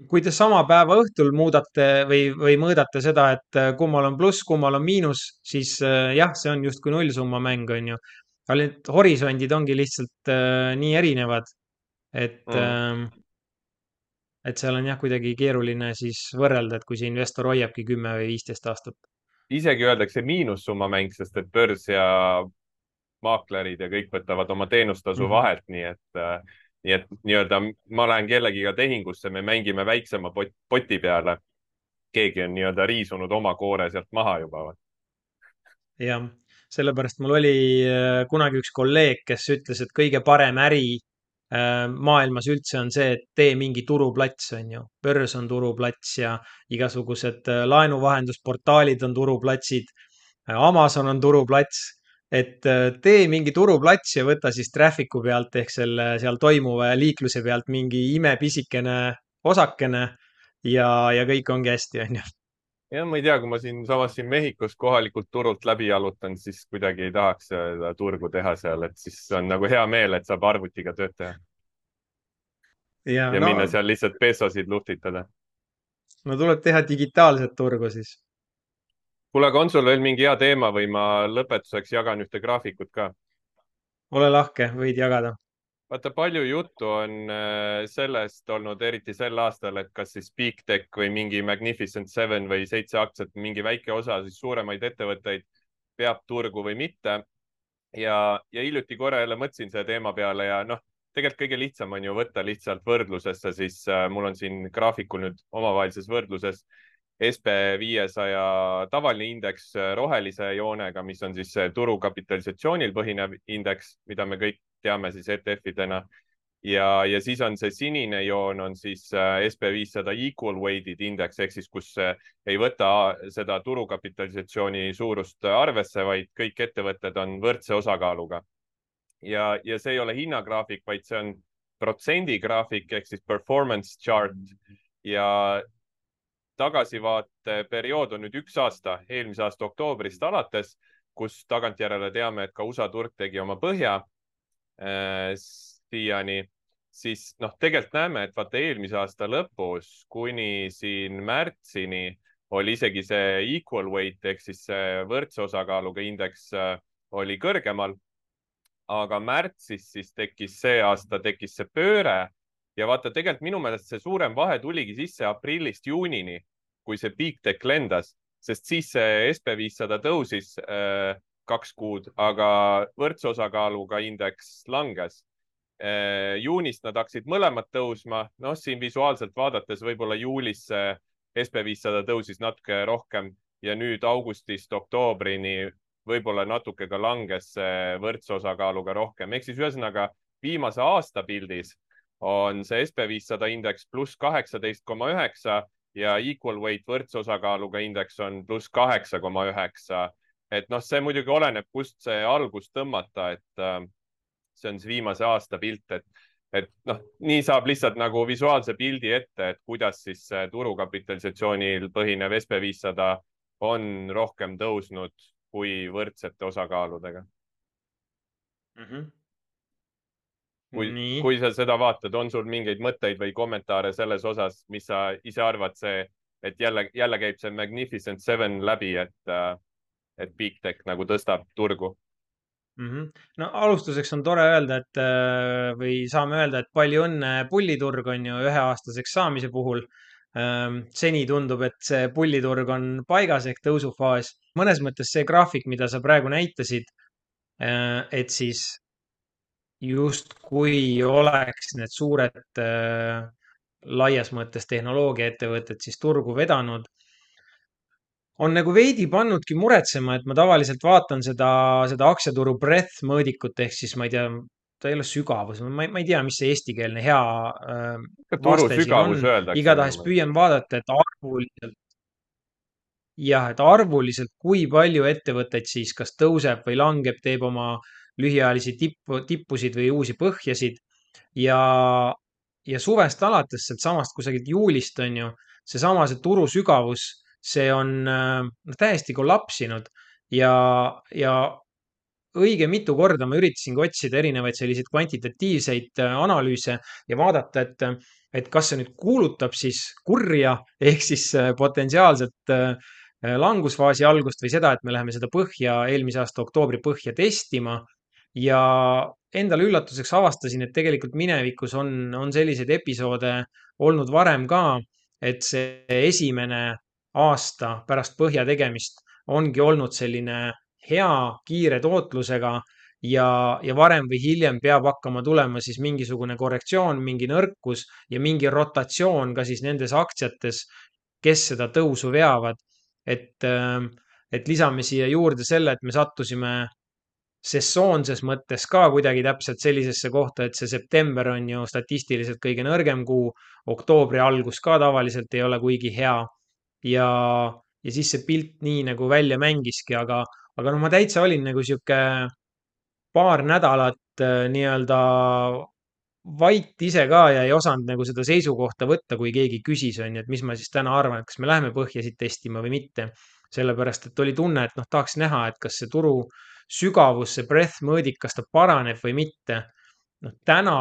kui te sama päeva õhtul muudate või, või mõõdate seda, et äh, kummal on pluss, kummal on miinus, siis äh, jah, see on justkui nullsumma mäng, on ju. aga need horisondid ongi lihtsalt äh, nii erinevad, et Mm. ähm, et seal on jah, kuidagi keeruline siis võrrelda, et kui see investor hoiabki kümme või viisteist aastat. isegi öeldakse miinussumma mäng, sest et börs ja maaklerid ja kõik võtavad oma teenustasu Mhm. vahelt, nii et äh, nii et nii-öelda ma lähen kellegiga tehingusse, me mängime väiksema pot, poti peale. keegi on nii-öelda riisunud oma koore sealt maha juba. jah, sellepärast mul oli äh, kunagi üks kolleeg, kes ütles, et kõige parem äri äh, maailmas üldse on see, et tee mingi turuplats, on ju. börs on turuplats ja igasugused äh, laenuvahendusportaalid on turuplatsid. Amazon on turuplats, et äh, tee mingi turuplats ja võta siis traffic'u pealt ehk selle seal toimuva liikluse pealt mingi imepisikene osakene ja, ja kõik ongi hästi, on ju. ja ma ei tea, kui ma siinsamas siin Mehhikos kohalikult turult läbi jalutan, siis kuidagi ei tahaks seda turgu teha seal, et siis on nagu hea meel, et saab arvutiga tööd teha ja ja no, minna seal lihtsalt pesosid luhtitada. no tuleb teha digitaalset turgu siis. kuule, aga on sul veel mingi hea teema või ma lõpetuseks jagan ühte graafikut ka? ole lahke, võid jagada. vaata, palju juttu on äh, sellest olnud, eriti sel aastal, et kas siis Big Tech või mingi Magnificent Seven või seitse aktsiat, mingi väike osa siis suuremaid ettevõtteid peab turgu või mitte. ja, ja hiljuti korra jälle mõtlesin selle teema peale ja noh, tegelikult kõige lihtsam on ju võtta lihtsalt võrdlusesse, siis äh, mul on siin graafikul nüüd omavahelises võrdluses S P viiesaja tavaline indeks äh, rohelise joonega, mis on siis turukapitalisatsioonil põhinev indeks, mida me kõik teame siis E T F-idena. ja, ja siis on see sinine joon on siis äh, S P viissada equal weighted indeks ehk siis, kus äh, ei võta seda turukapitalisatsiooni suurust arvesse, vaid kõik ettevõtted on võrdse osakaaluga. ja, ja see ei ole hinnagraafik, vaid see on protsendigraafik ehk siis performance chart ja tagasivaateperiood on nüüd üks aasta, eelmise aasta oktoobrist alates, kus tagantjärele teame, et ka U S A turg tegi oma põhja äh, siiani, siis noh, tegelikult näeme, et vaata eelmise aasta lõpus kuni siin märtsini oli isegi see equal weight ehk siis see võrdse osakaaluga indeks äh, oli kõrgemal. aga märtsis siis tekkis see aasta, tekkis see pööre ja vaata, tegelikult minu meelest see suurem vahe tuligi sisse aprillist juunini, kui see Big Tech lendas, sest siis see S P viissada tõusis äh, kaks kuud, aga võrdse osakaaluga indeks langes äh,. juunist nad hakkasid mõlemad tõusma, noh, siin visuaalselt vaadates võib-olla juulis see S P viissada tõusis natuke rohkem ja nüüd augustist oktoobrini võib-olla natuke ka langes võrdse osakaaluga rohkem. Ehk siis ühesõnaga viimase aasta pildis on see S P viissada indeks pluss kaheksateist koma üheksa ja equal weight võrdse osakaaluga indeks on pluss kaheksa koma üheksa. et noh, see muidugi oleneb, kust see algust tõmmata, et äh, see on siis viimase aasta pilt, et, et noh, nii saab lihtsalt nagu visuaalse pildi ette, et kuidas siis turukapitalisatsioonil põhinev S P viissada on rohkem tõusnud kui võrdsete osakaaludega mm. -hmm. kui, nii. kui sa seda vaatad, on sul mingeid mõtteid või kommentaare selles osas, mis sa ise arvad, see, et jälle, jälle käib see Magnificent Seven läbi, et, et Big Tech nagu tõstab turgu? Mm -hmm. No alustuseks on tore öelda, et äh, või saame öelda, et palju õnne pulliturg on ju üheaastaseks saamise puhul. Ähm, seni tundub, et see pulliturg on paigas ehk tõusufaas. mõnes mõttes see graafik, mida sa praegu näitasid, äh, et siis justkui oleks need suured äh, laias mõttes tehnoloogiaettevõtted siis turgu vedanud, on nagu veidi pannudki muretsema, et ma tavaliselt vaatan seda, seda aktsiaturu breadth mõõdikut ehk siis ma ei tea, ta ei ole sügavus, ma ei, ma ei tea, mis see eestikeelne hea äh, turu vaste siin on. sügavus öeldakse minu igatahes meelest. püüan vaadata, et arvuliselt, jah, et arvuliselt, kui palju ettevõtteid siis kas tõuseb või langeb, teeb oma lühiajalisi tippu, tippusid või uusi põhjasid ja, ja suvest alates, sealtsamast kusagilt juulist on ju, seesama, see turu sügavus, see on äh, noh, täiesti kollapsinud ja, ja õige mitu korda ma üritasingi otsida erinevaid selliseid kvantitatiivseid äh, analüüse ja vaadata, et, et kas see nüüd kuulutab siis kurja ehk siis äh, potentsiaalset äh, langusfaasi algust või seda, et me läheme seda põhja, eelmise aasta oktoobri põhja testima. ja endale üllatuseks avastasin, et tegelikult minevikus on, on selliseid episoode olnud varem ka, et see esimene aasta pärast põhja tegemist ongi olnud selline hea kiire tootlusega ja, ja varem või hiljem peab hakkama tulema siis mingisugune korrektsioon, mingi nõrkus ja mingi rotatsioon ka siis nendes aktsiates, kes seda tõusu veavad. et, et lisame siia juurde selle, et me sattusime sessoonses mõttes ka kuidagi täpselt sellisesse kohta, et see september on ju statistiliselt kõige nõrgem kuu, oktoobri algus ka tavaliselt ei ole kuigi hea ja, ja siis see pilt nii nagu välja mängiski, aga, aga noh, ma täitsa olin nagu sihuke paar nädalat äh, nii-öelda vait ise ka ja ei osanud nagu seda seisukohta võtta, kui keegi küsis, on ju, et mis ma siis täna arvan, et kas me läheme põhjasid testima või mitte. sellepärast, et oli tunne, et noh, tahaks näha, et kas see turu sügavus, see breadth mõõdik, kas ta paraneb või mitte. noh, täna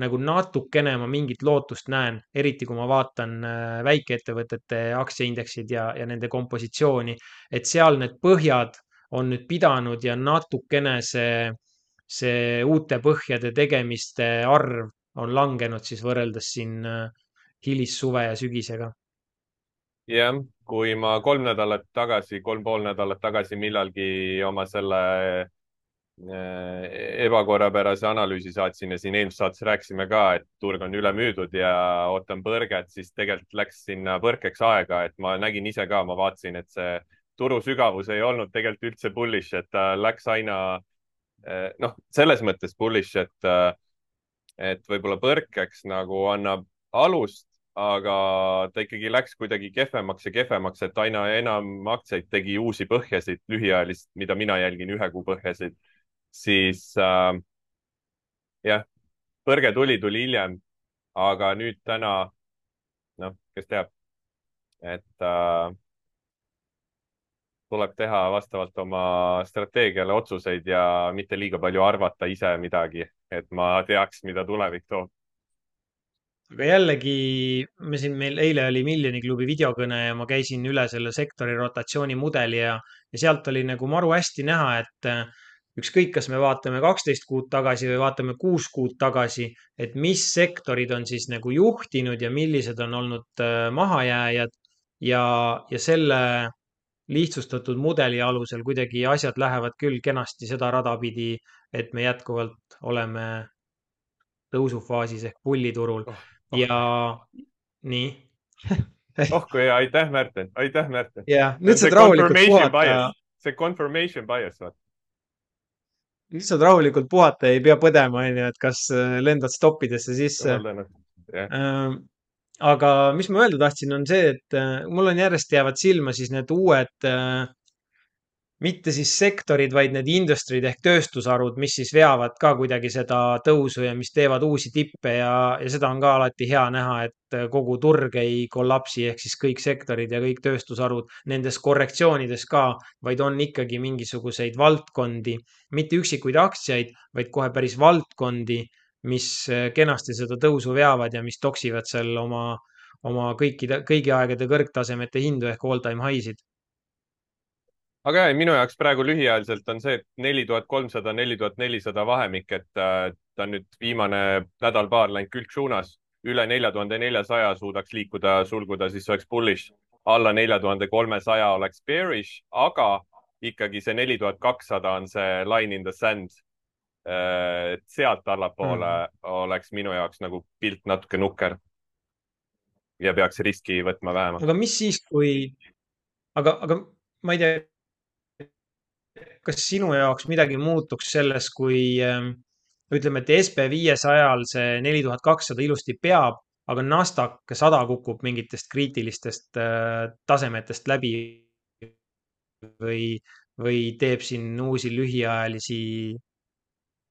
nagu natukene ma mingit lootust näen, eriti kui ma vaatan äh, väikeettevõtete aktsiaindeksid ja, ja nende kompositsiooni, et seal need põhjad on nüüd pidanud ja natukene see see uute põhjade tegemiste arv on langenud siis võrreldes siin äh, hilissuve ja sügisega. jah, kui ma kolm nädalat tagasi, kolm pool nädalat tagasi millalgi oma selle äh, ebakorrapärase analüüsi saatsin ja siin eelmises saates rääkisime ka, et turg on ülemüüdud ja ootan põrget, siis tegelikult läks sinna põrkeks aega, et ma nägin ise ka, ma vaatasin, et see turu sügavus ei olnud tegelikult üldse bullish, et ta läks aina äh, noh, selles mõttes bullish, et äh, et võib-olla põrkeks nagu annab alust, aga ta ikkagi läks kuidagi kehvemaks ja kehvemaks, et aina enam aktsiaid tegi uusi põhjasid lühiajalist, mida mina jälgin ühe kuu põhjasid, siis äh, jah, põrge tuli, tuli hiljem, aga nüüd täna, noh, kes teab, et äh, tuleb teha vastavalt oma strateegiale otsuseid ja mitte liiga palju arvata ise midagi, et ma teaks, mida tulevik toob. aga jällegi, me siin, meil eile oli Miljoni klubi videokõne ja ma käisin üle selle sektori rotatsioonimudeli ja, ja sealt oli nagu maru hästi näha, et äh, ükskõik, kas me vaatame kaksteist kuud tagasi või vaatame kuus kuud tagasi, et mis sektorid on siis nagu juhtinud ja millised on olnud äh, mahajääjad ja, ja selle lihtsustatud mudeli alusel kuidagi asjad lähevad küll kenasti seda rada pidi, et me jätkuvalt oleme tõusufaasis ehk pulliturul oh, oh ja kui, nii. oh kui hea, aitäh, Märten, aitäh, Märten. ja see nüüd on see saad rahulikult confirmation puhata, bias, see confirmation bias, vaat. nüüd saad rahulikult puhata, ei pea põdema, onju, et kas äh, lendad stoppidesse sisse. jumal tänatud, jah. Ähm, aga mis ma öelda tahtsin, on see, et äh, mul on järjest jäävad silma siis need uued äh, mitte siis sektorid, vaid need industry'd ehk tööstusharud, mis siis veavad ka kuidagi seda tõusu ja mis teevad uusi tippe ja, ja seda on ka alati hea näha, et kogu turg ei kollapsi ehk siis kõik sektorid ja kõik tööstusharud nendes korrektsioonides ka, vaid on ikkagi mingisuguseid valdkondi, mitte üksikuid aktsiaid, vaid kohe päris valdkondi, mis kenasti seda tõusu veavad ja mis toksivad seal oma, oma kõikide, kõigi aegade kõrgtasemete hindu ehk all time high'sid. aga jah, minu jaoks praegu lühiajaliselt on see, et neli tuhat kolmsada, neli tuhat nelisada vahemik, et äh, ta on nüüd viimane nädal-paar läinud külgsuunas, üle nelja tuhande neljasaja suudaks liikuda, sulguda, siis oleks bullish, alla nelja tuhande kolmesaja oleks bearish, aga ikkagi see neli tuhat kakssada on see line in the sand. et sealt allapoole Mm. oleks minu jaoks nagu pilt natuke nukker ja peaks riski võtma vähemalt. aga mis siis, kui, aga, aga ma ei tea, kas sinu jaoks midagi muutuks selles, kui ähm, ütleme, et S P viiesajal see neli tuhat kakssada ilusti peab, aga Nasdaq sada kukub mingitest kriitilistest äh, tasemetest läbi või, või teeb siin uusi lühiajalisi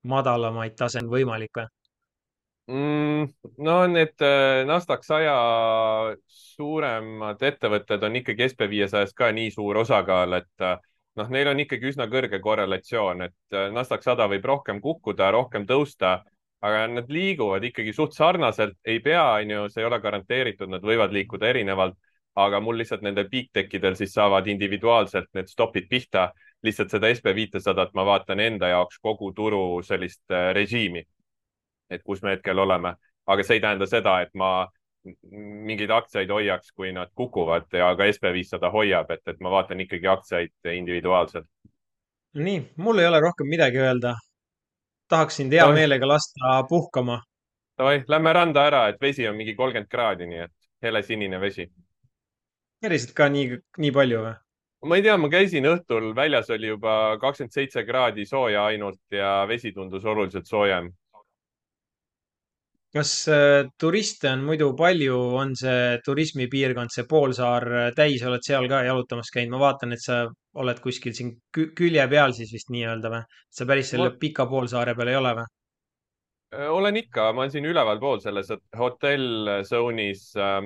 madalamaid tase on võimalik või? Mm, no need äh, Nasdaq saja suuremad ettevõtted on ikkagi S P viiesajast ka nii suur osakaal, et äh, noh, neil on ikkagi üsna kõrge korrelatsioon, et äh, Nasdaq sada võib rohkem kukkuda, rohkem tõusta, aga nad liiguvad ikkagi suht sarnaselt, ei pea, on ju, see ei ole garanteeritud, nad võivad liikuda erinevalt, aga mul lihtsalt nendel peak-tekkidel siis saavad individuaalselt need stopid pihta. lihtsalt seda S P viitesadat ma vaatan enda jaoks kogu turu sellist äh, režiimi, et kus me hetkel oleme, aga see ei tähenda seda, et ma mingeid aktsiaid hoiaks, kui nad kukuvad ja ka S P viissada hoiab, et, et ma vaatan ikkagi aktsiaid individuaalselt. nii, mul ei ole rohkem midagi öelda. Tahaks sind hea Davai, meelega lasta puhkama. davai, lähme randa ära, et vesi on mingi kolmkümmend kraadi, nii et helesinine vesi. päriselt ka nii, nii palju või? ma ei tea, ma käisin õhtul, väljas oli juba kakskümmend seitse kraadi sooja ainult ja vesi tundus oluliselt soojem. kas äh, turiste on muidu palju, on see turismipiirkond, see poolsaar äh, täis, oled seal ka jalutamas käinud? ma vaatan, et sa oled kuskil siin kü- külje peal siis vist nii-öelda või? sa päris ma selle pika poolsaare peal ei ole või? öö, olen ikka, ma olen siin ülevalpool selles hotell zone'is äh,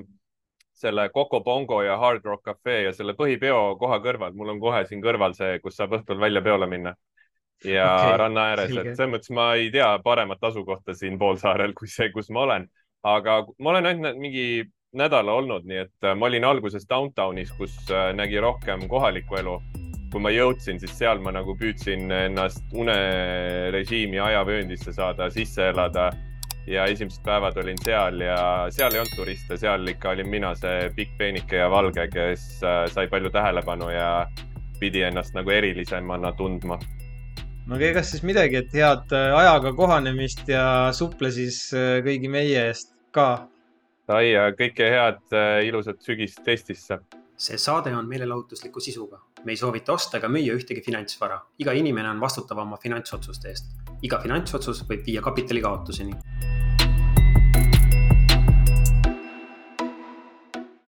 selle Coco Bongo ja Hard Rock Cafe ja selle põhipeo koha kõrval. mul on kohe siin kõrval see, kus saab õhtul välja peole minna ja okei okay,, ranna ääres, et selge. selles mõttes ma ei tea paremat asukohta siin poolsaarel kui see, kus ma olen. aga ma olen ainult mingi nädala olnud, nii et äh, ma olin alguses downtownis, kus äh, nägi rohkem kohalikku elu kui ma jõudsin, siis seal ma nagu püüdsin ennast unerežiimi ajavööndisse saada, sisse elada ja esimesed päevad olin seal ja seal ei olnud turiste, seal ikka olin mina see pikk peenike ja valge, kes sai palju tähelepanu ja pidi ennast nagu erilisemana tundma. no ega siis midagi, et head ajaga kohanemist ja suple siis kõigi meie eest ka. Sai ja kõike head ilusat sügist Eestisse. See saade on meelelahutusliku sisuga. Me ei soovita osta ega müüa ühtegi finantsvara. Iga inimene on vastutav oma finantsotsuste eest. Iga finantsotsus võib viia kapitali kaotuseni.